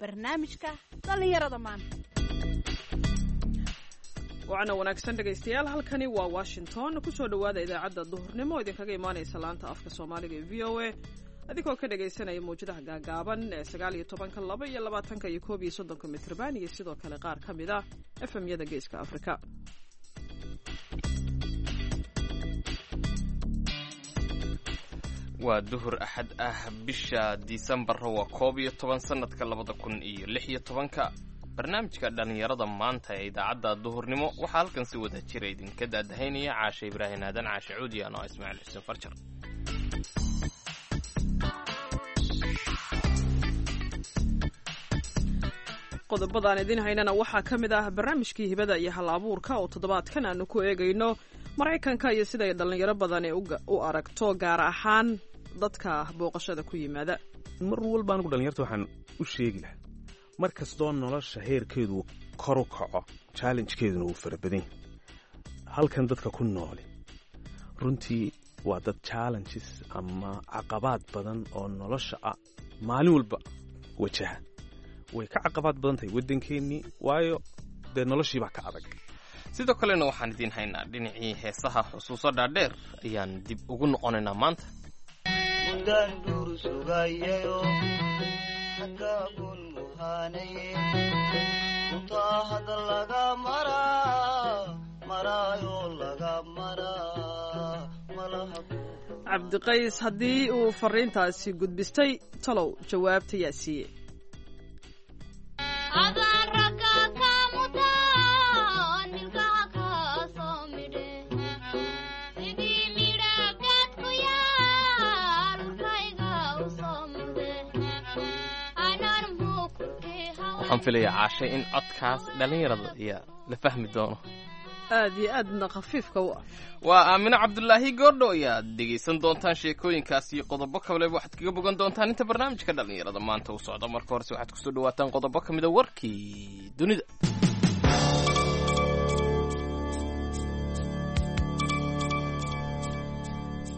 Barnaamijka dhallinyarada maanta. Wacna wanaagsan dhegaystayaal, halkani waa Washington. Kusoo dhowaada idaacadda duhurnimo oo idinkaga imaanaysa laanta afka Soomaaliga ee VOA, adigoo ka dhagaysanaya mawjadaha gaagaaban ee 19-ka, 22-ka iyo 31-ka mitrban, iyo sidoo kale qaar ka mid ah FM-yada Geeska Afrika. Waa duhur Axad ah, bisha Disembar waa 11, sanadka 2016-ka. Barnaamijka dhallinyarada maanta ee idaacadda duhurnimo waxaa halkan si wada jira idinka daadahaynaya Caashe Ibraahim Aadan, Caashe Cuudi, anoo Ismaaciil Xuseen Farjar. Qodobadaan idiin haynana waxaa ka mid ah barnaamijkii hibada iyo hal abuurka oo toddobaadkan aanu ku eegayno Maraykanka iyo siday dhallinyaro badani u aragto, gaar ahaan dadka booqashada ku yimaada. Mar walba anigu dhalinyarta waxaan u sheegi lahaa, mar kastoo nolosha heerkeedu kor u kaco, challengekeeduna wuu fara badan yahay. Halkan dadka ku nooli runtii waa dad challenges ama caqabaad badan oo nolosha ah maalin walba wajaha. Way ka caqabaad badan tahay waddankeennii, waayo dee noloshii baa ka adag. Sidoo kalena waxaan idiin haynaa dhinacii heesaha. Xusuuso dhaadheer ayaan dib ugu noqonaynaa maanta. Mudaan duur sugayayo xagaagun muhaanaye untaa hadda laga maraa maraayo laga maraa malaha. Cabdiqays haddii uu fariintaasi gudbistay, talow jawaabta yaa siiye? Waxaan filayaa, Caashay, in codkaas dhallinyarada ayaa la fahmi doono. Aad iyo aadna khafiifka u ah. Waa Aamino Cabdulaahi Goordho. Ayaad dhegaysan doontaan sheekooyinkaas iyo qodobo kaleba waxaad kaga bogan doontaan inta barnaamijka dhallinyarada maanta u socdo. Marka horese waxaad kusoo dhawaataan qodobo ka mida warkii dunida.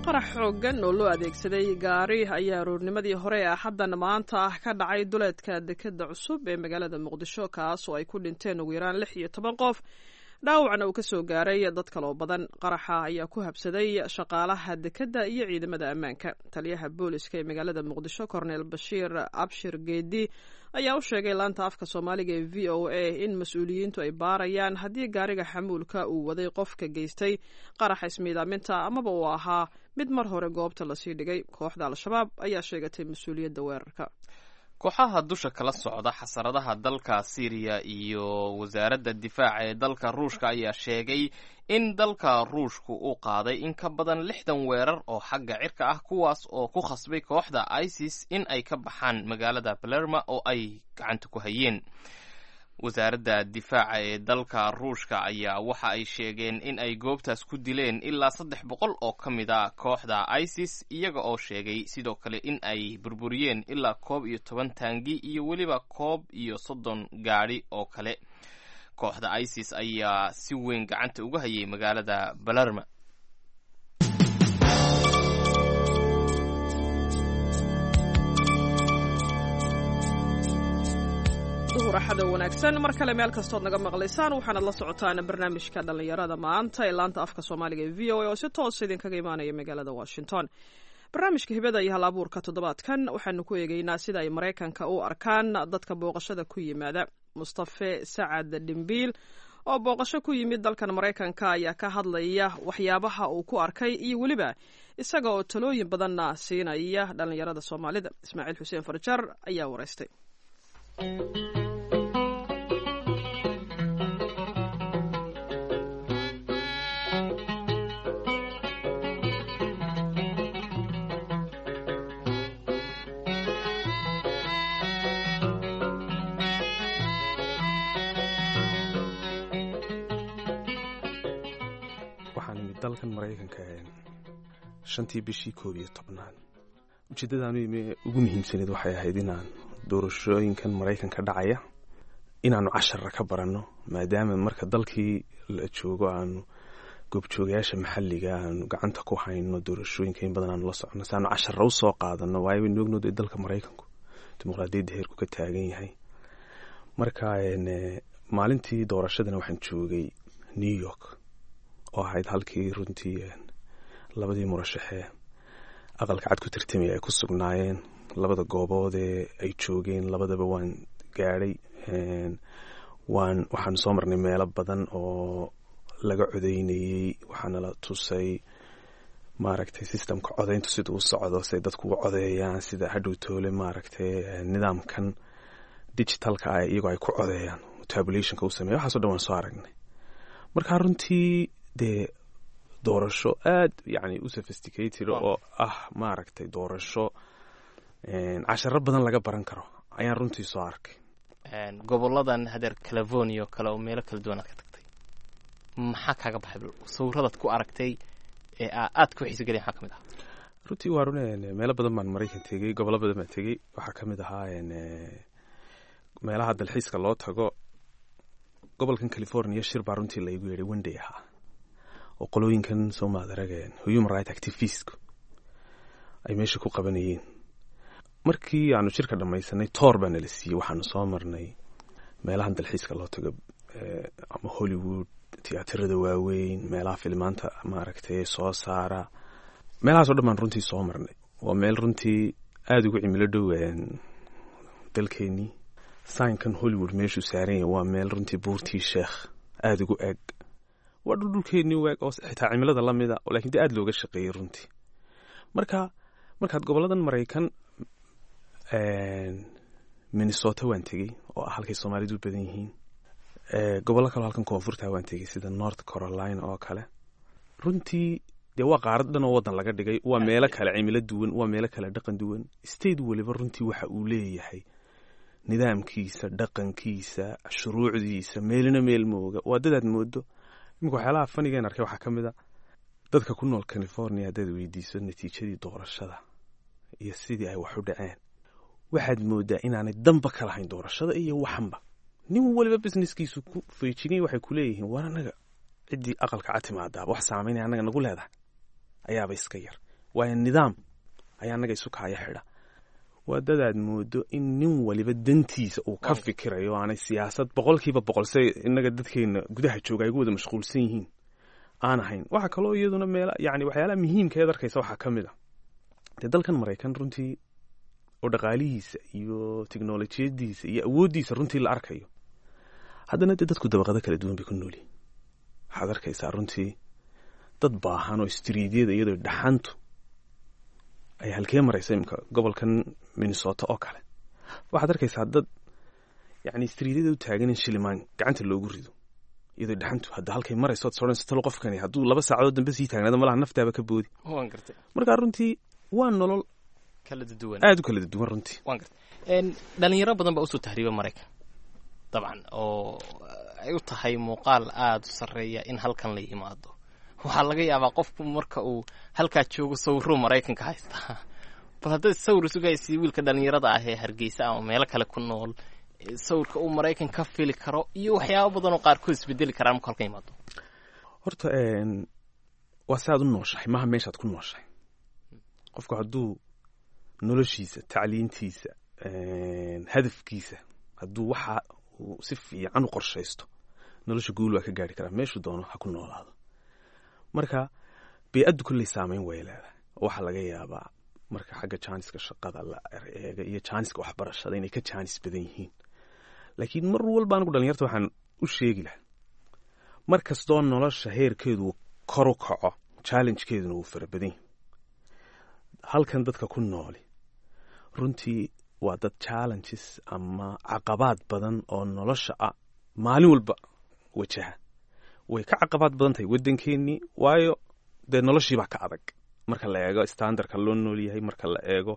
Qarax xooggan oo loo adeegsaday gaari ayaa aroornimadii hore ee Axaddan maanta ah ka dhacay duleedka dekadda cusub ee magaalada Muqdisho, kaas oo ay ku dhinteen ugu yaraan 16 qof, dhaawacna uu ka soo gaaray dad kaloo badan. Qaraxa ayaa ku habsaday shaqaalaha dekedda iyo ciidamada ammaanka. Taliyaha booliska ee magaalada Muqdisho, Korneel Bashiir Abshir Geedi, ayaa u sheegay laanta afka Soomaaliga ee VOA in mas-uuliyiintu ay baarayaan haddii gaariga xamuulka uu waday qofka geystay qaraxa ismiidaaminta amaba uu ahaa mid mar hore goobta lasii dhigay. Kooxda Al-Shabaab ayaa sheegatay mas-uuliyadda weerarka. Kooxaha dusha kala socda xasaradaha dalka Siiriya iyo wasaaradda difaaca ee dalka Ruushka ayaa sheegay in dalka Ruushku uu qaaday in ka badan 60 weerar oo xagga cirka ah, kuwaas oo ku khasbay kooxda ISIS in ay ka baxaan magaalada Palerma oo ay gacanta ku hayeen. Wasaaradda difaaca ee dalka Ruushka ayaa waxa ay sheegeen in ay goobtaas ku dileen ilaa 300 oo ka mid a kooxda ISIS, iyaga oo sheegay sidoo kale in ay burburiyeen ilaa 11 taangi iyo weliba 31 gaadhi oo kale. Kooxda ISIS ayaa si weyn gacanta uga hayay magaalada Balerma. Duhur Axada wanaagsan mar kale meel kastood naga maqlaysaan. Waxaanad la socotaan barnaamijka dhallinyarada maanta ee laanta afka Soomaaliga ee VOA oo si toos idinkaga imaanaya magaalada Washington. Barnaamijka hibada iyo hal abuurka toddobaadkan waxaanu ku eegaynaa sida ay Maraykanka u arkaan dadka booqashada ku yimaada. Mustafe Sacad Dhimbiil oo booqasho ku yimid dalkan Maraykanka ayaa ka hadlaya waxyaabaha uu ku arkay iyo weliba isaga oo talooyin badanna siinaya dhallinyarada Soomaalida. Ismaaciil Xuseen Farjar ayaa waraystay. Waxaan imid dalkan Maraykanka shantii bishii 11aad. Ujeeddadaanu imi ugu muhiimsaneed waxay ahayd inaan doorashooyinkan Maraykanka dhacaya inaanu cashara ka baranno, maadaama marka dalkii la joogo aanu goobjoogayaasha maxalliga aanu gacanta ku hayno doorashooyinka in badan aanu la socono, si aanu cashara usoo qaadano, waayo waynu ognood dalka Maraykanku dimuqraadiyadda heerku ka taagan yahay. Marka maalintii doorashadana waxaan joogay New York, oo ahayd halkii runtii labadii murashaxee Aqalka Cad ku tartamaya ay ku sugnaayeen. Labada goobood ee ay joogeen labadaba waan gaadhay. Waxaanu soo marnay meelo badan oo laga codeynayey. Waxaana la tusay, maaragtay, systemka codeyntu sida u socdo, siday dadku u codeeyaan, sida hadhow toole, maaragtay, nidaamkan digitalka ah iyagoo ay ku codeeyaan, tabulationka u sameeya. Waxaaso dhan waan soo aragnay. Marka runtii dee doorasho aad yani u sophisticated oo ah, maaragtay, doorasho casharo badan laga baran karo ayaan runtii soo arkay. Goboladan hadeer California oo kale oo meelo kala duwan aad ka tagtay, maxaa kaaga baxay? Sawiradaad ku aragtay ee aad ku xiisa gelin maxaa ka mid ah? Runtii waa run, meelo badan baan Maraykan tegey, gobollo badan baan tegey. Waxaa ka mid ahaa meelaha dalxiiska loo tago gobolkan California. Shir baa runtii laygu yeedhay one day ahaa oo qolooyinkan soo maadarageen human right activistku ay meesha ku qabanayeen. Markii aanu shirka dhammaysanay, tour baa nala siiyey. Waxaanu soo marnay meelahan dalxiiska loo tago, ama Hollywood, tiyaatarada waaweyn, meelaha filimaanta, maaragtay, soo saara. Meelahaas o dhan baan runtii soo marnay. Waa meel runtii aada ugu cimilo dhow dalkeenii. Signkan Hollywood meeshuu saaran yahay waa meel runtii Buurtii Sheekh aada ugu eg. Waa dhul dhulkeenii u eg oo xitaa cimilada lamida, lakin dee aada looga shaqeeyey runtii. Marka markaad goboladan Maraykan, Minnesota waan tegey oo ah halkay Soomaalidu u badan yihiin. Gobollo kaleo halkan koonfurta waan tegey, sida North Carolina oo kale. Runtii dee waa qaarad dhan oo waddan laga dhigay. Waa meelo kale cimilo duwan, waa meelo kale dhaqan duwan. State waliba runtii waxa uu leeyahay nidaamkiisa, dhaqankiisa, shuruucdiisa. Meelina meel mooga. Waa dadaad moodo. Iminka waxyaalaha funnygan arkay waxaa ka mid a, dadka ku nool California haddaad weydiiso natiijadii doorashada iyo sidii ay wax u dhaceen, waxaad moodaa inaanay danba ka lahayn doorashada iyo waxanba. Nin waliba businesskiisu ku feejigay. Waxay ku leeyihiin, "War annaga ciddii Aqalka Cad timaadaaba wax saameynaya annaga nagu leedahay ayaaba iska yar, waayo nidaam ayaa annaga isu kaaya xidha." Waa dadaad moodo in nin waliba dantiisa uu ka fikirayo, aanay siyaasad 100% say innaga dadkeena gudaha jooga ay ugu wada mashquulsan yihiin aan ahayn. Waxaa kaloo iyaduna meel yani waxyaalaha muhiimka eed arkaysa waxaa ka mid a, dee dalkan Maraykan runtii oo dhaqaalihiisa iyo teknolojiyadiisa iyo awooddiisa runtii la arkayo, haddana dee dadku dabaqado kala duwan bay ku noolyihin. Waxaad arkaysaa runtii dad baahan oo streetyada iyadoo dhaxantu ay halkee maraysa. Imika gobolkan Minnesota oo kale waxaad arkaysaa dad yani streetyada u taagan in shilimaan gacanta loogu rido, iyadoo dhaxantu hadda halkay marayso ad soranayso, talo qofkani hadduu 2 saacadood dambe sii taagnaado, malaha naftaaba ka boodi. Waan gartay. Marka runtii waa nolol kala duwan, aada u kala duwan runtii. Waan gartay. Dhalinyaro badan baa usoo tahriiba Maraykan dabcan, oo ay u tahay muuqaal aada u sarreeya in halkan la yimaado. Waxaa laga yaabaa qofku marka uu halkaa joogo sawiruu Maraykanka haystaa. Bal haddaad sawir sugaysi wiilka dhalinyarada ah ee Hargeysa ama meelo kale ku nool, sawirka uu Maraykan ka fili karo iyo waxyaabo badan oo qaarkood isbedeli karaan marka halkan yimaado. Horta waa si aad u nooshahay, maha meeshaad ku nooshahay. Qofku hadduu noloshiisa, tacliintiisa, hadafkiisa, hadduu waxa uu si fiican u qorshaysto, nolosha guul waa ka gaari karaa, meeshuu doono ha ku noolaado. Marka bey-addu kolley saameyn way leedahay. Waxaa laga yaabaa marka xagga jaaniska shaqada la eega iyo jaaniska waxbarashada inay ka jaanis badan yihiin, laakiin mar walba anigu dhalinyarta waxaan u sheegi lahaa, mar kastoo nolosha heerkeedu kor u kaco, challengekeeduna wuu fara badan yahay. Halkan dadka ku nooli runtii waa dad challenges ama caqabaad badan oo nolosha ah maalin walba wajaha. Way ka caqabaad badan tahay waddankeennii, waayo dee noloshiibaa ka adag marka la eego standardka loo nool yahay, marka la eego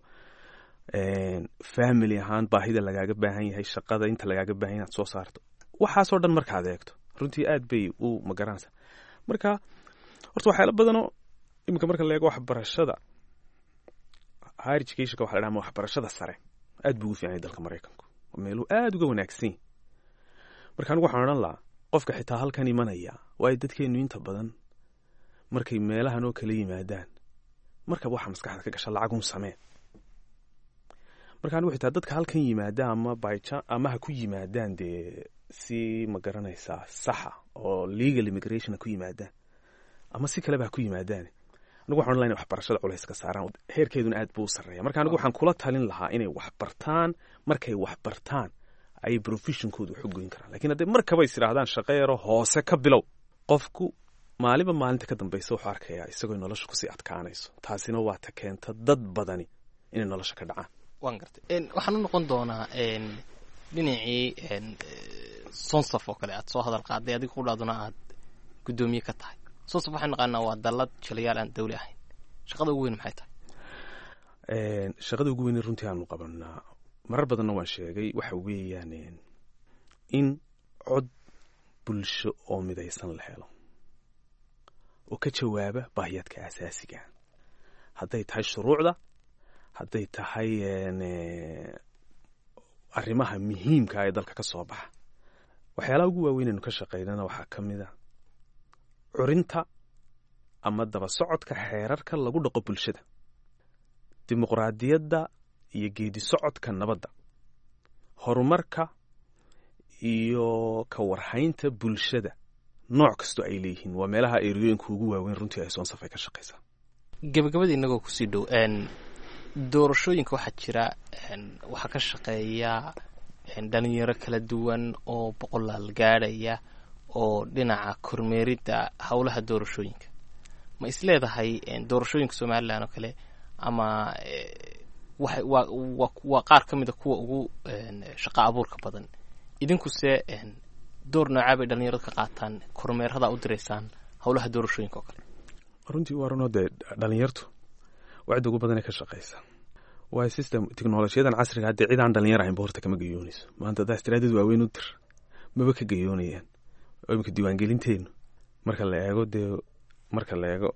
family ahaan baahida lagaaga baahan yahay, shaqada inta lagaaga baahan yahay inaad soo saarto. Waxaasoo dhan markaad eegto, runtii aad bay u magaranaysaa. Marka horta waxyaala badanoo iminka marka la eego waxbarashada, higher educationka waxa la dhaha ama waxbarashada sare, aad buu ugu fiican yahay dalka Maraykanku. Waa meeluu aad uga wanaagsan yahay. Marka anigu waxaan odhan lahaa qofka xitaa halkan imanaya, waayo dadkeenu inta badan markay meelahan oo kala yimaadaan, markaba waxaa maskaxda ka gasha lacagun samee. Marka anigu xitaa dadka halkan yimaada ama bycha ama ha ku yimaadaan dee si ma garanaysaa saxa oo legal immigration ha ku yimaadaan ama si kaleba ha ku yimaadaan, anigu waxaan odhan lahaa inay waxbarashada culays ka saaraan, heerkeeduna aad buu u sarreeya. Marka anigu waxaan kula talin lahaa inay wax bartaan. Markay wax bartaan ayay professionkooda wax u goyn karaan, lakiin hadday markaba is idhaahdaan shaqo yaro hoose ka bilow, qofku maalinba maalinta ka dambaysa wuxuu arkayaa isagoo nolosha kusii adkaanayso. Taasina waa ta keenta dad badani inay nolosha ka dhacaan. Waan gartay. Waxaan u noqon doonaa dhinacii Sonsaf oo kale aad soo hadal qaaday, adiga qudhaaduna aad guddoomiye ka tahay. Sonsaf waxaan naqaanaa waa dallad jilayaal aan dawli ahayn. Shaqada ugu weyn maxay tahay? Shaqada ugu weyn runtii aanu qabanaa, marar badanna waan sheegay, waxa weeyaan in cod bulsho oo midaysan la helo oo ka jawaaba baahiyaadka asaasiga, hadday tahay shuruucda, hadday tahay arrimaha muhiimka ee dalka ka soo baxa. Waxyaalaha ugu waaweyn aynu ka shaqaynana waxaa ka mid a curinta ama daba socodka xeerarka lagu dhaqo bulshada, dimuqraadiyadda iyo geedi socodka nabadda, horumarka iyo ka warhaynta bulshada nooc kastoo ay leeyihiin. Waa meelaha eriyooyinka ugu waaweyn runtii ay Soonsaf ay ka shaqaysaa. Gabagabada inagoo kusii dhow, doorashooyinka waxaa jira waxaa ka shaqeeya dhalinyaro kala duwan oo boqolaal gaadhaya oo dhinaca kormeeridda howlaha doorashooyinka. Ma is leedahay doorashooyinka Somaliland oo kale ama waxay waa qaar ka mida kuwa ugu shaqa abuurka badan? Idinkuse door noocaa bay dhalinyaradu ka qaataan kormeerada u diraysaan howlaha doorashooyinka oo kale? Runtii waa runoo, dee dhalinyartu waa cidda ugu badanee ka shaqaysa, waayo system teknolojiyadan casriga haddee cid aan dhalinyar ahaynba horta kama gayoonayso. Maanta haddaa istiraadad waaweyn u dir, maba ka gayoonayaan. Oo imika diiwaangelinteenu marka la eego, dee marka la eego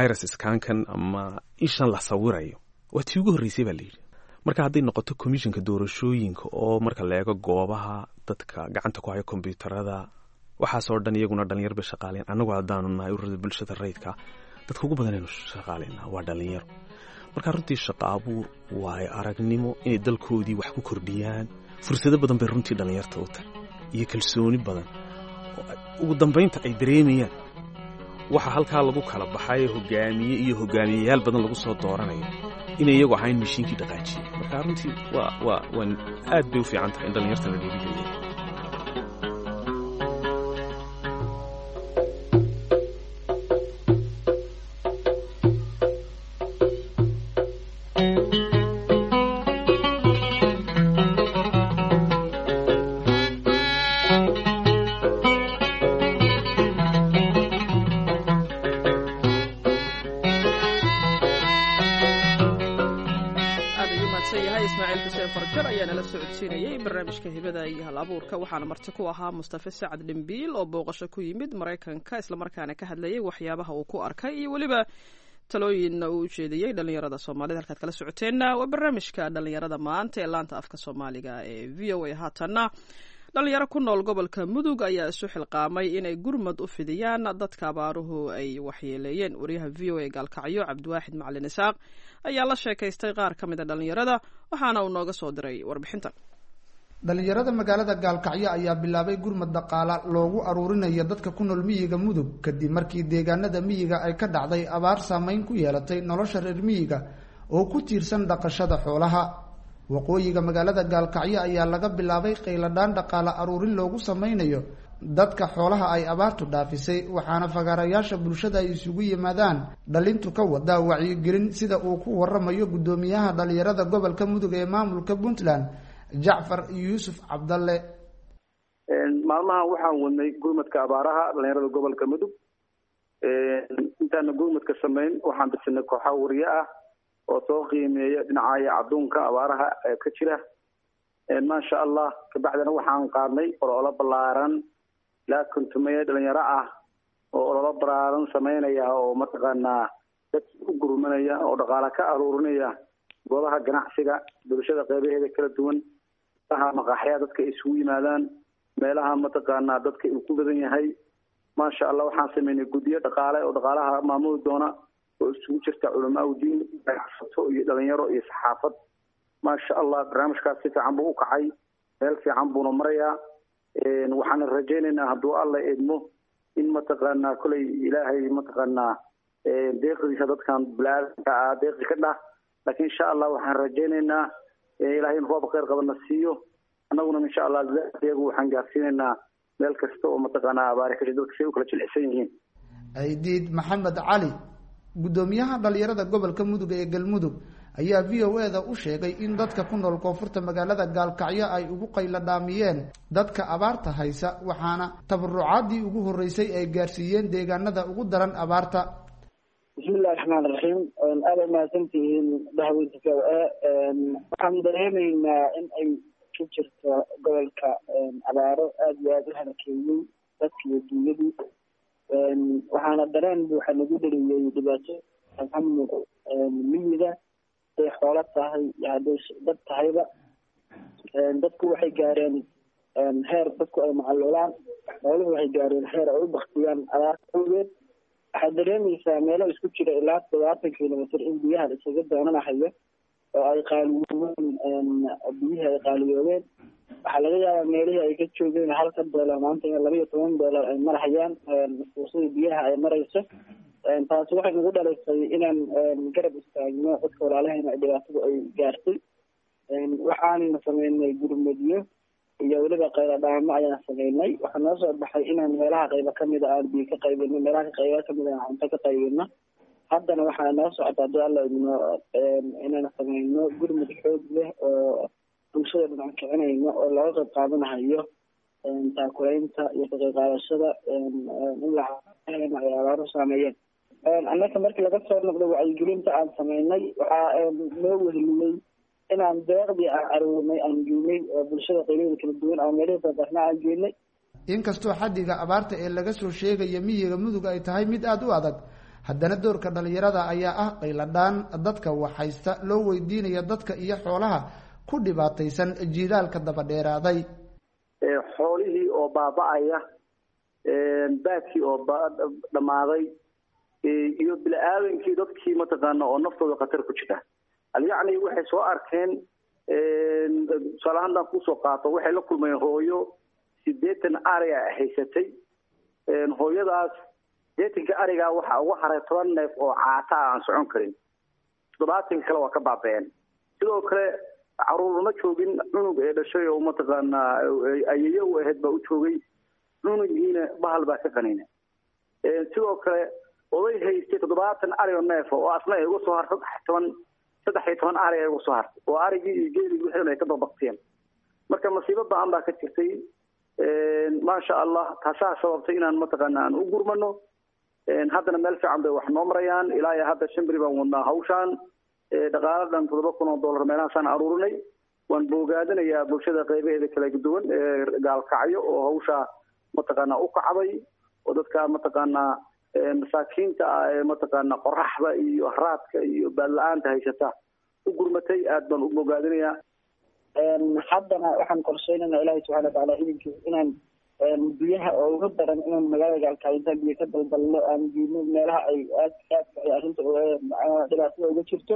iris scankan ama ishan la sawirayo, waa tii ugu horreysay baa la yidhi. Marka hadday noqoto commissionka doorashooyinka oo marka la eego goobaha dadka gacanta ku haya kombyuutarada, waxaasoo dhan iyaguna dhalinyar bay shaqaaleen. Annagu haddaanu nahay ururada bulshada rayidka, dadka ugu badan aynu shaqaaleynaa waa dhalinyaro. Marka runtii shaqa abuur, waayo aragnimo inay dalkoodii wax ku kordhiyaan, fursado badan bay runtii dhalinyarta u tahay iyo kalsooni badan oo ugu dambaynta ay dareemayaan waxa halkaa lagu kala baxay hogaamiye iyo hogaamiyeyaal badan lagu soo dooranayo inay iyagu ahayn mashiinkii dhaqaajiyey. Marka runtii waa aad bay u fiican tahay in dhalinyarta la dhiirigeliyo. Aad ayuu mahadsan yahay Ismaaciil Xuseen Farjar ayaa nala socodsiinayey barnaamijka hibada iyo hal abuurka, waxaana marti ku ahaa Mustafe Sacad Dhimbiil oo booqasho ku yimid Maraykanka, islamarkaana ka hadlayay waxyaabaha uu ku arkay iyo weliba talooyinna uu ujeediyey dhalinyarada Soomaalida. Halkaad kala socoteenna waa barnaamijka dhalinyarada maanta ee laanta afka Soomaaliga ee VOA. Haatanna dhalinyaro ku nool gobolka Mudug ayaa isu xilqaamay inay gurmad u fidiyaan dadka abaaruhu ay waxyeeleeyeen. Wariyaha VOA Gaalkacyo, Cabdiwaaxid Macalin Isaaq, ayaa la sheekaystay qaar ka mid a dhalinyarada, waxaana uu nooga soo diray warbixintan. Dhalinyarada magaalada Gaalkacyo ayaa bilaabay gurmad dhaqaala loogu aruurinayo dadka ku nool miyiga Mudug, kadib markii deegaanada miyiga ay ka dhacday abaar saameyn ku yeelatay nolosha reer miyiga oo ku tiirsan dhaqashada xoolaha. Waqooyiga magaalada Gaalkacyo ayaa laga bilaabay qayladhaan dhaqaala aruurin loogu sameynayo dadka xoolaha ay abaartu dhaafisay, waxaana fagaarayaasha bulshada ay isugu yimaadaan dhalintu ka wadaa wacyigelin, sida uu ku waramayo guddoomiyaha dhalinyarada gobolka Mudug ee maamulka Puntland, Jacfar Yuusuf Cabdalle. Maalmahan waxaan wadnay gurmadka abaaraha dhalinyarada gobolka Mudug. Intaana gurmadka samayn waxaan bisinay kooxa wariye ah oo soo qiimeeya dhinacaya cadduunka abaaraha ee ka jira, maasha Allah. Kabacdina waxaan qaadnay ololo ballaaran ilaa 50 dhalinyaro ah oo ololo ballaaran sameynaya oo mataqaanaa dad u gurmanaya oo dhaqaale ka aruurinaya goobaha ganacsiga, bulshada qeybaheeda kala duwan, meelaha maqaaxyaha dadka ay isugu yimaadaan, meelaha mataqaanaa dadka uu ku badan yahay. Maasha Allah, waxaan sameynay guddiyo dhaqaale oo dhaqaalaha maamuli doona oo isugu jirta culamaa u diin, ganacsato iyo dhalinyaro iyo saxaafad. Maasha Allah, barnaamijkaas si fiican buu u kacay, meel fiican buuna marayaa. Waxaana rajaynaynaa hadduu Alla idmo in mataqaanaa koley Ilaahay mataqaanaa deeqdiisa dadkan bilaadanka ah deeqi ka dhah, laakiin insha Allah waxaan rajaynaynaa Ilahay in roob kheyr qabana siiyo. Annaguna insha Allah iyagu waxaan gaarsiinaynaa meel kasta oo mataqaanaa abaari kasha dadka si ay u kala jilicsan yihiin. Ciidiid Maxamed Cali, guddoomiyaha dhalinyarada gobolka Mudug ee Galmudug, ayaa v o e da u sheegay in dadka ku nool koonfurta magaalada Gaalkacyo ay ugu qaylo dhaamiyeen dadka abaarta haysa, waxaana tabarucaadii ugu horreysay ay gaarsiiyeen deegaanada ugu daran abaarta. Bismillahi raxmaan raxiim. Aada umahadsantihiin dahweynta v o a. Waxaan dareemaynaa in ay ka jirto gobolka abaaro aada iyo aada u halakeeyey dadka iyo dunyadii, waxaana dareen buuxa nagu dheliyey dhibaato amniga miyiga, haday xoolo tahay iyo hadday dad tahayba. Dadku waxay gaareen heer dadku ay macalulaan, xooluhu waxay gaareen heer ay u baktiyaan abaarta awgeed. Waxaad dareemaysaa meelo isku jira ilaa 70 kilomitr in biyaha la isaga doonanahayo oo ay qaaliyoobeen, biyihii ay qaaliyoobeen. Waxaa laga yaabaa meelihii ay ka joogeen halka doolar maanta in $12 ay marhayaan, fuusadii biyaha ay marayso. Taasi waxay nagu dhalisay inaan garab istaagno dadka walaalahayna dhibaatadu ay gaartay. Waxaanna sameynay gurmudyo iyo weliba qayladhaamo ayaan sameynay. Waxaa noo soo baxay inaan meelaha qaybo kamida aan biyo ka qaybino, meelaha qaybo kamida aan cunto ka qaybino. Haddana waxaa noo socota haddii Alla idmo inaan sameyno gurmud xoog leh oo bulshada dhinac kicinayno oo looga qayb qaadanahayo taakulaynta iyo ka qayb qaadashada in la ay abaaru saameeyeen. Annaka markii laga soo noqdo wacyigelinta aan sameynay, waxaa noo weheliyey inaan deeqdii aan aruurnay aan geynay oo bulshada qaybaheeda kala duwan aan meelihii tabarna aan geynay. Inkastoo xaddiga abaarta ee laga soo sheegaya miyiga Mudug ay tahay mid aada u adag, haddana doorka dhalinyarada ayaa ah qayladhaan dadka waxhaysta loo weydiinaya dadka iyo xoolaha ku dhibaataysan jiilaalka daba dheeraaday. Xoolihii oo baaba-aya, baadkii oo dhammaaday, iyo bili-aadankii dadkii mataqaana oo naftooda khatar ku jira. Yacni waxay soo arkeen, tusaale ahaan haddaan kusoo qaato, waxay la kulmeen hooyo 80 ariga haysatay. Hooyadaas 80-ka arigaa waxaa uga haray 10 neef oo caata ah aan socon karin, 70-ka kale waa ka baaba-een. Sidoo kale caruur ma joogin, cunug ee dhashay oo mataqaanaa ayeyo u ahayd baa u joogay, cunugiina bahal baa ka qanina. Sidoo kale oday haystay 70 ari oo neef oo asna ay uga soo hartay 13 ari ay uga soo hartay, oo arigii iyo geeligi wixii ay ka dabaqteen. Marka masiibo ba-an baa ka jirtay. Maasha Allah, taasaa sababtay inaan mataqaana aan u gurmano. Haddana meel fiican bay wax noo marayaan. Ilaa iyo hadda 5 beri baan wadnaa hawshaan. Dhaqaala dhan $7,000 meelahaasaan aruurinay. Waan boogaadinayaa bulshada qaybaheeda kala duwan ee Gaalkacyo oo hawshaa mataqaanaa u kacday, oo dadka mataqaanaa masaakiinta ah ee mataqaanaa qoraxda iyo haraadka iyo baadla-aanta haysata u gurmatay. Aad baan u bogaadinayaa. Haddana waxaan qorsheynaynaa Ilaahay subxana watacaala idinkiis inaan biyaha oo ugu daran inaan magaalada Gaalkacyo intaan biyo ka daldalno aan geyno meelaha ay aad aadka ay arrinta dhibaatada uga jirto.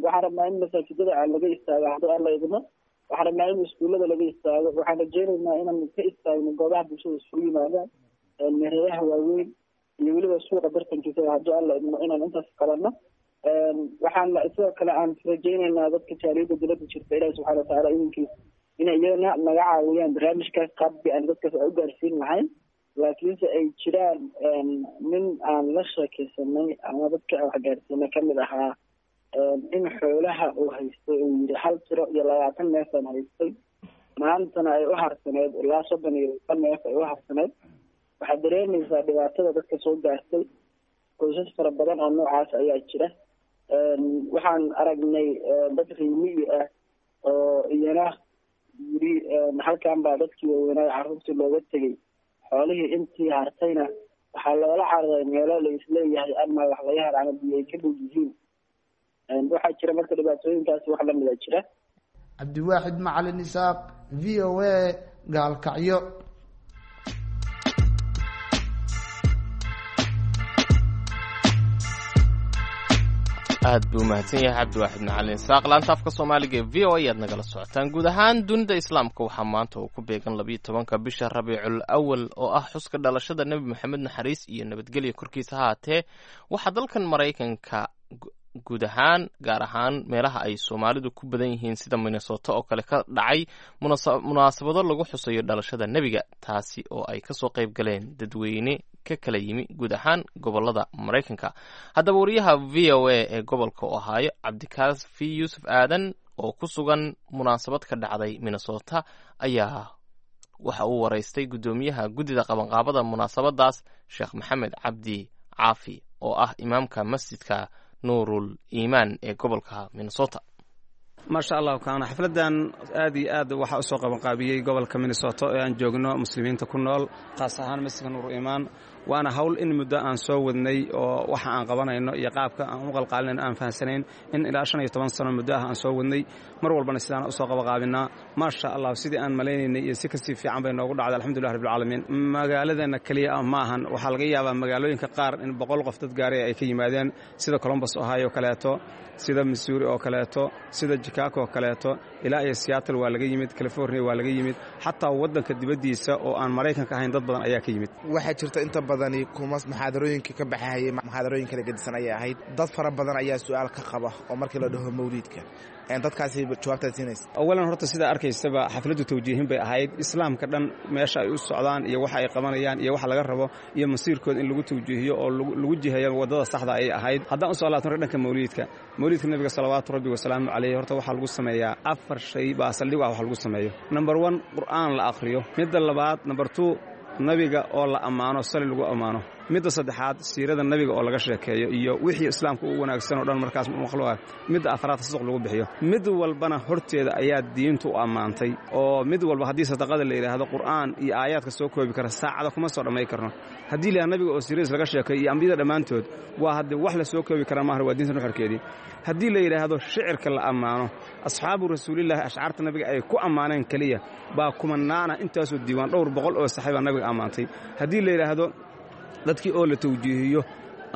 Waxaan rabnaa in masaajidada aan laga istaago haddii Alla idmo. Waxaan rabnaa in iskuullada laga istaago. Waxaan rajeynaynaa inaan ka istaagno goobaha bulshada isugu yimaadaan, meheradaha waaweyn iyo weliba suuqa bartankiisa haddii Alla idmo inaan intaas qabanno. Waxaan sidoo kale aan rajeynaynaa dadka jaaliyada dibadda jirta Ilahi subxana watacaala idinkiis inay iyagana naga caawiyaan barnaamijkaas qaabkii aan dadkaas u gaarsiin lahayn. Laakiinse ay jiraan nin aan la sheekeysanay ama dadka aan wax gaarsiinay kamid ahaa in xoolaha uu haystay uu yidhi hal tiro iyo 20 neef aan haystay, maantana ay u harsaneed ilaa 32 neef ay u harsaneed. Waxaad dareemaysaa dhibaatada dadka soo gaartay. Qoysas fara badan oo noocaas ayaa jira. Waxaan aragnay dad riimiyi ah oo iyana yidhi halkan baa dadkii waaweynaa carruurtii looga tegay, xoolihii intii hartayna waxaa loola cararay meelo la isleeyahay ama wax laga hel ama biyo ay ka dhow yihiin. Waxaa jira marka dhibaatooyinkaasi wax lamida jira. Cabdiwaaxid Macalin Isaaq, v o a, Gaalkacyo. Aad buu mahadsan yahay Cabdiwaaxid Macalin Isaaq. Laanta afka Soomaaliga ee VOA ayaad nagala socotaan. Guud ahaan dunida Islaamka waxaa maanta uu ku beegan 12-ka bisha Rabiicul Awal, oo ah xuska dhalashada Nebi Maxamed, naxariis iyo nabadgelya korkiisa haatee. Waxaa dalkan Maraykanka guud ahaan, gaar ahaan meelaha ay Soomaalidu ku badan yihiin sida Minnesota oo kale, ka dhacay munaasabado lagu xusayo dhalashada nebiga, taasi oo ay kasoo qayb galeen dadweyne ka kala yimi guud ahaan gobolada Maraykanka. Haddaba wariyaha VOA ee gobolka Ohio, Cabdikaafi Yuusuf Aadan, oo ku sugan munaasabad ka dhacday Minnesota, ayaa waxa uu waraystay guddoomiyaha guddida qabanqaabada munaasabadaas, Sheekh Maxamed Cabdi Caafi, oo ah imaamka masjidka Nuurul Iimaan ee gobolka Minnesota. Maasha Allahu kaana, xafladdan aad iyo aad waxaa u soo qabanqaabiyey gobolka Minnesota ee aan joogno muslimiinta ku nool, khaas ahaan masjidka Nuur Iimaan. Waana hawl in muddo aan soo wadnay, oo waxa aan qabanayno iyo qaabka aan u qalqaalinayno aan fahansanayn in ilaa 15 sano muddo ah aan soo wadnay. Mar walbana sidaan usoo qabaqaabinaa. Maasha Allah, sidii aan malaynaynay iyo si kasii fiican bay noogu dhacday, alxamdulilah rabbilcaalamiin. Magaaladeenna keliya ah ma ahan, waxaa laga yaabaa magaalooyinka qaar in 100 qof dad gaaray ay ka yimaadeen, sida Columbus, Ohio oo kaleeto, sida Missouri oo kaleeto, sida Chicago oo kaleeto, ilaa iyo Seattle waa laga yimid, California waa laga yimid, xataa waddanka dibaddiisa oo aan Maraykanka ahayn dad badan ayaa ka yimid. Waxaa jirta inta badani kuma muxaadarooyinka ka baxahayay, muxaadarooyin kala gedisan ayay ahayd. Dad fara badan ayaa su-aal ka qaba oo markii la dhaho mawliidka, dadkaasi jawaabtaad siinaysa? Awalan horta, sidaa arkaysaba, xafladdu tawjiihin bay ahayd. Islaamka dhan meesha ay u socdaan iyo waxa ay qabanayaan iyo waxa laga rabo iyo masiirkooda in lagu tawjiihiyo oo lagu jiheeyo waddada saxda ayay ahayd. Haddaan usoo laabto marka dhanka mawliidka, mawliidka nebiga salawaatu rabbi wasalaamu caleyh, horta waxaa lagu sameeyaa afar shay baa saldhig ah wax lagu sameeyo. Number one, Qur'aan la akhriyo. Midda labaad, number two, nabiga oo la ammaano, sali lagu ammaano. Midda saddexaad, siirada nabiga oo laga sheekeeyo iyo wixii islaamka u wanaagsan oo dhan markaas maqluuca. Midda afraad, sasuq lagu bixiyo. Mid walbana horteeda ayaa diintu u ammaantay, oo mid walba haddii sadaqada la yidhaahdo, Qur'aan iyo aayaadka soo koobi kara saacada kuma soo dhammayn karno. Haddii la nabiga oo siiradiis laga sheekeeyo iyo ambiyada dhammaantood, waa haddii wax la soo koobi kara maahan, waa diinta nuxurkeedii. Haddii la yidhaahdo shicirka la ammaano, asxaabu rasuulillaahi ashcaarta nabiga ay ku ammaaneen keliya baa kumanaana, intaasoo diiwaan dhowr boqol oo saxiibaa nabiga ammaantay. Haddii la yidhaahdo dadkii oo la tawjiihiyo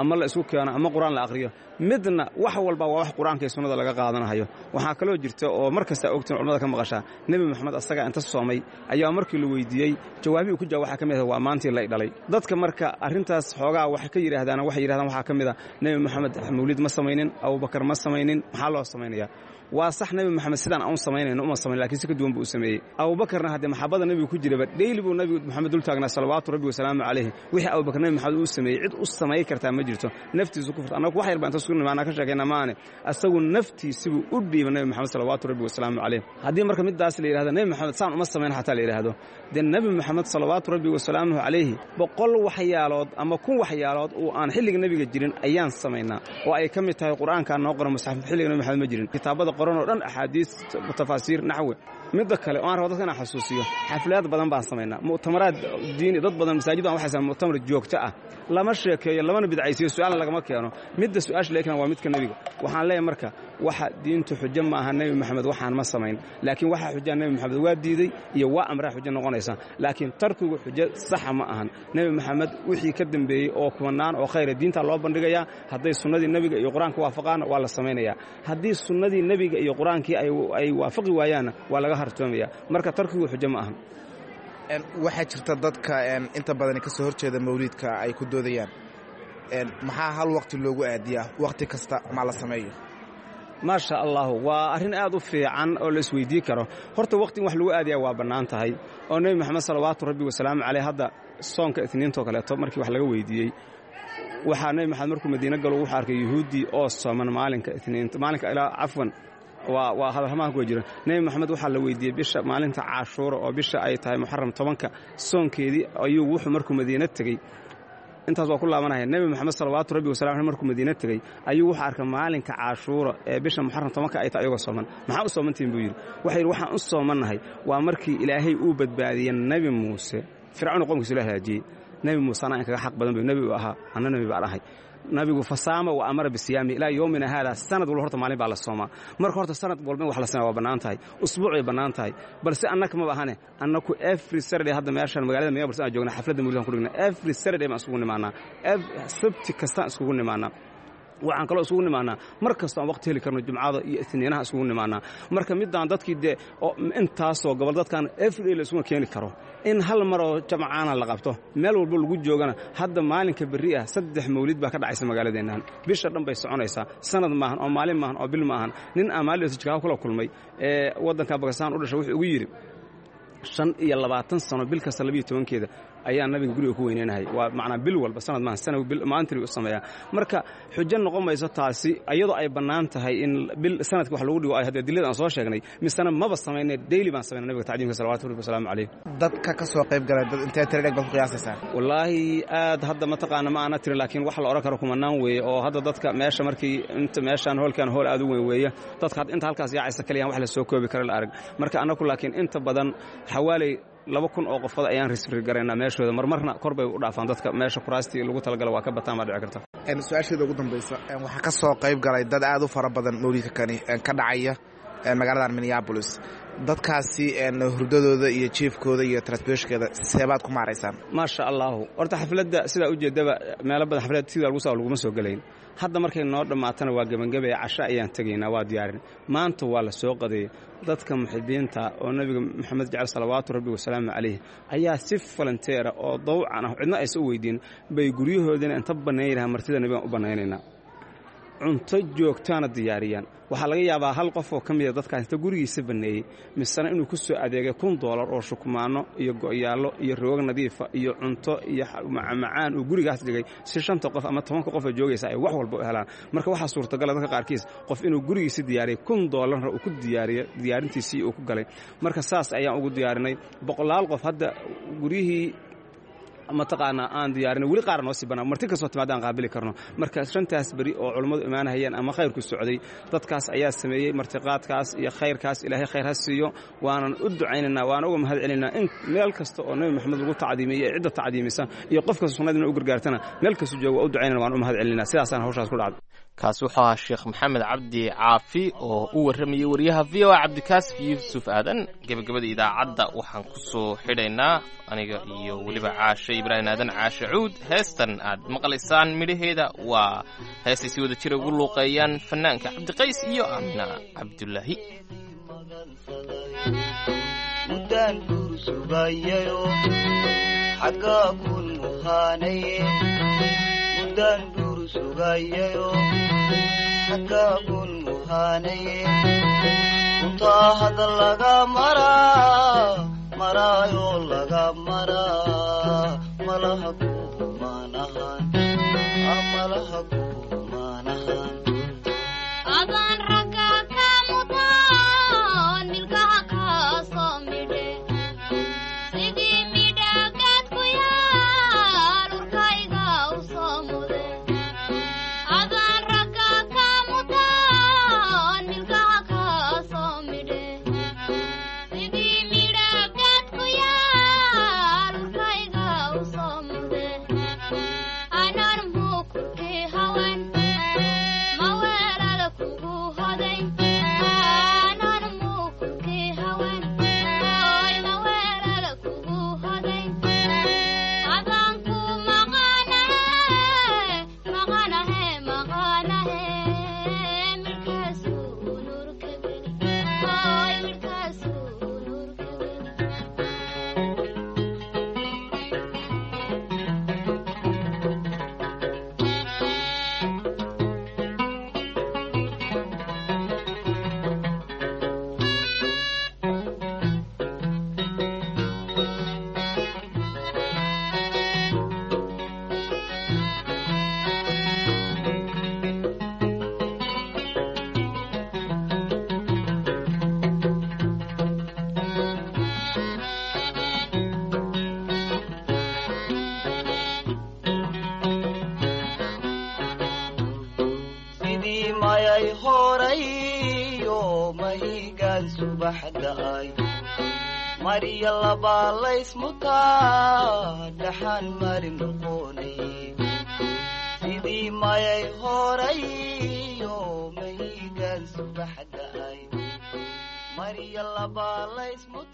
ama la isku keeno ama Qur-aan la akhriyo, midna wax walba waa wax Qur-aanka iyo sunnada laga qaadanahayo. Waxaa kaloo jirta oo mar kasta ogtiin culamada ka maqashaa, Nebi Moxamed asagaa inta soomay ayaa markii la weydiiyey jawaabihii ku jawaab waxaa ka mid ah waa maantii lay dhalay. Dadka marka arrintaas xoogaa waxay ka yidhaahdaan, waxay yidhahdaan waxaa ka mid ah Nebi Moxamed mawlid ma samaynin, Abubakar ma samaynin, maxaa loo samaynayaa? Waa sax, Nebi Moxamed sidaan aan u samaynayno uma samayn, lakiin si ka duwan buu u sameeyey. Abubakarna haddee maxabada nebiga ku jiraba dheyli buu Nebi Moxamed dul taagnaa salawaatu rabbi wasalaamu calayhi. Wixii Abubakar Nebi Moxamed uu sameeyey cid u samay kartaa ma jirto, naftiisu ku furta. Annagu wax yar baan inta sugu nimaanaa ka sheekayna maane, asagu naftiisibuu u dhiiba Nebi Moxamed salawaatu rabbi wasalaamu calayh. Haddii marka midaas la yidhahdo Nebi Moxamed saan uma samayn xataa la yidhaahdo, dee Nebi Moxamed salawaatu rabbi wasalaamuhu calayhi 100 waxyaalood ama 1000 waxyaalood oo aan xilliga nebiga jirin ayaan samaynaa, oo ay ka mid tahay Qur-aankaa noo qoran musxaf xilliga Nebi Moxamed ma jirin, kitaabada qoran oo dhan, axaadiis, tafaasiir, naxwi. Midda kale oo aan rabo dadka inaan xasuusiyo, xaflaad badan baan samaynaa, mu'tamaraad diini, dad badan masaajid aan waxay sameyn mu'tamar joogto ah. Lama sheekeeyo, lamana bidcaysiyo, su'aalna lagama keeno. Midda su'aasha laga keeno waa midka nebiga. Waxaan leeyahay marka waxa diintu xujo ma aha Nebi Maxamed waxaan ma samayn, laakiin waxa xujaa Nebi Maxamed waa diiday iyo waa amraa xujo noqonaysa, laakiin tarkigu xujo saxa ma ahan. Nebi Maxamed wixii ka dambeeyey oo kumanaan oo khayra diinta loo bandhigayaa. Hadday sunnadii nebiga iyo Qur-aanka waafaqaanna waa la samaynayaa, haddii sunnadii nebiga iyo Qur-aankii ay waafaqi waayaanna waa laga hartoomaya. Marka tarkigu xujo ma ahan. Waxaa jirta dadka inta badani ka soo horjeeda mawliidka ay ku doodayaan, maxaa hal waqti loogu aadiyaa, waqti kasta ma la sameeyo? Maasha Allahu, waa arrin aad u fiican oo la isweydii karo. Horta waqti in wax lagu aadiyaa waa bannaan tahay, oo Nebi Moxamed salawaatu rabbi wasalaamu caleyh hadda soonka Isniintoo kaleeto markii wax laga weydiiyey, waxaa Nebi Maxamed markuu Madiine galo wuxuu arkay yuhuuddii oo sooman maalinka Isniinta, maalinka ilaa, cafwan, waa hadalhamaha kuwa jira. Nebi Moxamed waxaa la weydiiyey bisha maalinta Caashuura oo bisha ay tahay Muxaram 10-ka soonkeedii ayuu wuxuu markuu Madiine tegey, intaas waa ku laabanaya, Nebi Moxamed salawaatu rabbi wasalam aleh markuu Madiine tegey ayuu wuxuu arkay maalinka Caashuura ee bisha Muxaram 10-ka ay tahay ayagoo sooman. Maxaa u soomantihin buu yidhi. Waxay yidhi waxaan u soomannahay waa markii Ilaahay uu badbaadiyey Nebi Muuse, Fircawn qomkiisu la halaajiyey. Nebi Muuse anaa in kaga xaq badan bu nebi uu ahaa, anna nebi baan ahay. Nabigu fasaama wa amara bisiyaami ilaa yowmina haada. Sanad walba horta maalin baa la soomaa. Marka horta sanad walba in wax la sameya waa bannaan tahay, usbuuc bay bannaan tahay, balse annaka maba ahane. Annaku every Saturday hadda meeshan magaalada Minneapolis aan joogna xafladda mawlidaan ku dhigna. Every Saturday baan isugu nimaanaa, sabti kastaan iskugu nimaanaa. Waxaan kaloo isugu nimaanaa mar kastoo aan waqti heli karno, jumcada iyo isniinaha isugu nimaanaa. Marka midaan dadkii dee intaasoo gobol dadkan everyday la isuma keeni karo, in hal maroo jamcaana la qabto meel walba lagu joogana. Hadda maalinka berri ah 3 mawlid baa ka dhacaysa magaaladeennan. Bisha dhan bay soconaysaa. Sanad maahan oo maalin maahan oo bil maahan. Nin aan maalin Jikago kula kulmay ee waddanka Bakistaan u dhashay wuxuu ugu yidhi, 25 sano bil kasta 12-keeda ayaa nabiga guriga ku weyneynahay. Waa macnaa bil walba, sanad maahan, sana bil maalintii u sameeyaa. Marka xujo noqon mayso taasi, iyadoo ay bannaan tahay in bil sanadka wax lagu dhigo ay haddee dilada aan soo sheegnay. Misena maba samaynay, daily baan samaynay nabiga tacdiimka, salawatu rabbi wasalaamu calayh. Dadka ka soo qayb galay, dad intee tiro dheeg baad ku qiyaasaysaan? Wallaahi aad hadda mataqaana ma aana tirin, laakiin wax la odhan karo kumanaan weeye. Oo hadda dadka meesha markii inta meeshaan hoolkan hool aad u weyn weeye, dadka hadda inta halkaas yaacaysa kaliyaan wax la soo koobi kara la arag. Marka annagu laakiin inta badan xawaaley 2000 oo qofood ayaan risri garaynaa meeshooda. Marmarna kor bay u dhaafaan dadka meesha, kuraastii lagu talagala waa ka bataan baa dhici karta. Su-aasheeda ugu dambaysa, waxaa ka soo qayb galay dad aad u fara badan mawlidka kani ka dhacaya magaaladan Minneapolis. Dadkaasi hurdadooda iyo jiifkooda iyo transportkooda seebaad ku maaraysaan? Maasha Allahu, horta xafladda sidaa ujeedaba meelo badan xaflad sidaa lagu soo laguma soo gelayn. Hadda markay noo dhammaatana waa gebangabaya, casho ayaan tegaynaa, waa diyaarin. Maanta waa la soo qadeeyey. Dadka muxibiinta oo nabiga Maxamed jecel, salawaatu rabbi wasalaamu calayh, ayaa si volunteer ah oo dawcan ah, cidna aysan u weydiin, bay guryahoodina inta bannayn martida nabigaan u bannaynaynaa, cunto joogtaana diyaariyaan. Waxaa laga yaabaa hal qof oo ka mida dadkaas inta gurigiisa banneeyey misena inuu ku soo adeegay $1000 oo shukmaano iyo go'yaallo iyo roog nadiifa iyo cunto iyo macmacaan uu gurigaas dhigay, si shanta qof ama 10-ka qof oo joogaysa ay wax walba u helaan. Marka waxaa suurtagala dadka qaarkiis qof inuu gurigiisa diyaariyey, $1000-na uu ku diyaariyey, diyaarintiisii uu ku galay. Marka saas ayaan ugu diyaarinay boqolaal qof. Hadda guryihii mataqaanaa aan diyaarinay weli qaar noo sii banaan, marti kastoo timaadaan qaabili karno. Marka shantaas beri oo culummadu imaanahayeen ama khayrku socday, dadkaas ayaa sameeyey martiqaadkaas iyo khayrkaas. Ilaahay khayr ha siiyo, waanan u ducaynaynaa, waana uga mahad celinaynaa. In meel kasta oo Nabi Maxamed lagu tacdiimiyey, cidda tacdiimisa iyo qof kasta sunnadina u gargaartana, meel kasta jooga waa u ducaynana, waan u mahad celinaa. Sidaasaan hawshaas ku dhacday. Kaasi wuxuu ahaa Sheekh Maxamed Cabdi Caafi oo u warramayey wariyaha VOA Cabdikaasif Yuusuf Aadan. Gebagabada idaacadda waxaan ku soo xidhaynaa aniga iyo weliba Caashe Ibraahim Aadan, Caashe Cuud, heestan aad maqlaysaan midhaheeda. Waa heestay si wada jira ugu luuqeeyaan fanaanka Cabdiqays iyo Aamina Cabdulaahi. Muddaan guur sugayayo xaggaa kun muhaanaye, muddaan guur sugayayo xaggaa kun muhaanaye, untaa hadda laga maraa maraayo laga maraa malaha kumaanahan, malaha kumaanahan. Adaan ragga ka mutaan milkaha kaa soo midhe, sidii midhagaad ku yaal urkayga u soo mude. Adaan ragga ka mutaan milkaha kaa soo midhe, sidii midhagaad ku yaal urkayga u soo mude. Anaan mukurkii hawen maweelala kugu hoday, anaan mukurkii hawen oy maweelala kugu hoday. Adaan ku maqanahe maqanahe maqanahe, midkaasuu nuurka geli oy, midkaasuu nuurka geli. Sidii mayay horayo mahigaan subax da'ay, mariya labaa laysmutaa dhaxaan mari noqonay. Sidii mayay horayo mahigaan subax da'ay, mariya labaa laysmutaa.